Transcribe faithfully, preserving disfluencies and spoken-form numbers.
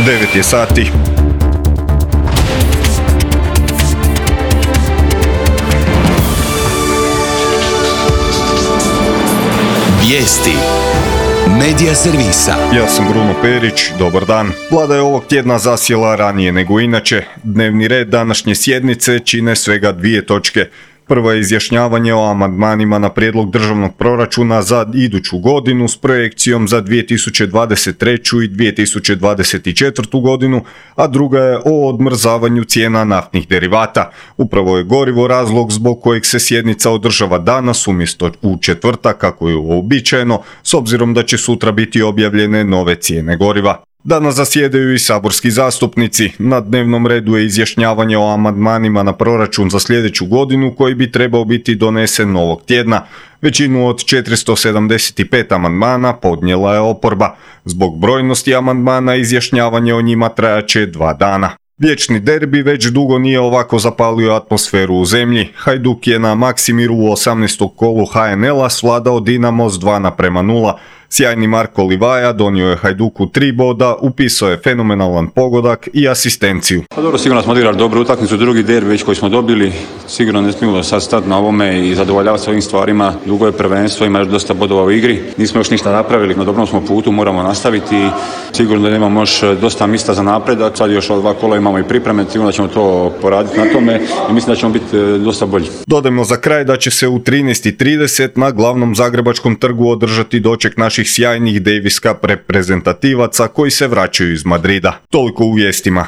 devet je sati. Vijesti Medija servisa. Ja sam Bruno Perić, dobar dan. Vlada je ovog tjedna zasjela ranije nego inače. Dnevni red današnje sjednice čine svega dvije točke. Prvo je izjašnjavanje o amandmanima na prijedlog državnog proračuna za iduću godinu s projekcijom za dvije tisuće dvadeset treću. i dvije tisuće dvadeset četvrtu. godinu, a druga je o odmrzavanju cijena naftnih derivata. Upravo je gorivo razlog zbog kojeg se sjednica održava danas umjesto u četvrtak kako je uobičajeno, s obzirom da će sutra biti objavljene nove cijene goriva. Danas zasjedaju i saborski zastupnici. Na dnevnom redu je izjašnjavanje o amandmanima na proračun za sljedeću godinu koji bi trebao biti donesen ovog tjedna. Većinu od četiristo sedamdeset pet amandmana podnijela je oporba. Zbog brojnosti amandmana izjašnjavanje o njima trajaće dva dana. Vječni derbi već dugo nije ovako zapalio atmosferu u zemlji. Hajduk je na Maksimiru u osamnaestom kolu ha en el-a svladao Dinamo s dva naprema nula. Sjajni Marko Livaja donio je Hajduku tri boda, upisao je fenomenalan pogodak i asistenciju. Pa dobro, sigurno smo odigrali dobru utakmicu, drugi derbi već koji smo dobili. Sigurno ne smijemo sad stati na ovome i zadovoljavati s ovim stvarima. Dugo je prvenstvo, ima još dosta bodova u igri. Nismo još ništa napravili, na dobrom smo putu, moramo nastaviti. Sigurno da imamo još dosta mjesta za napredak. Sad još dva kola imamo i pripreme, sigurno da ćemo to poraditi na tome i mislim da ćemo biti dosta bolji. Dodajmo za kraj da će se u trinaest i trideset na glavnom zagrebačkom trgu održati doček naših sjajnih Davis Cup reprezentativaca koji se vraćaju iz Madrida. Toliko u vijestima.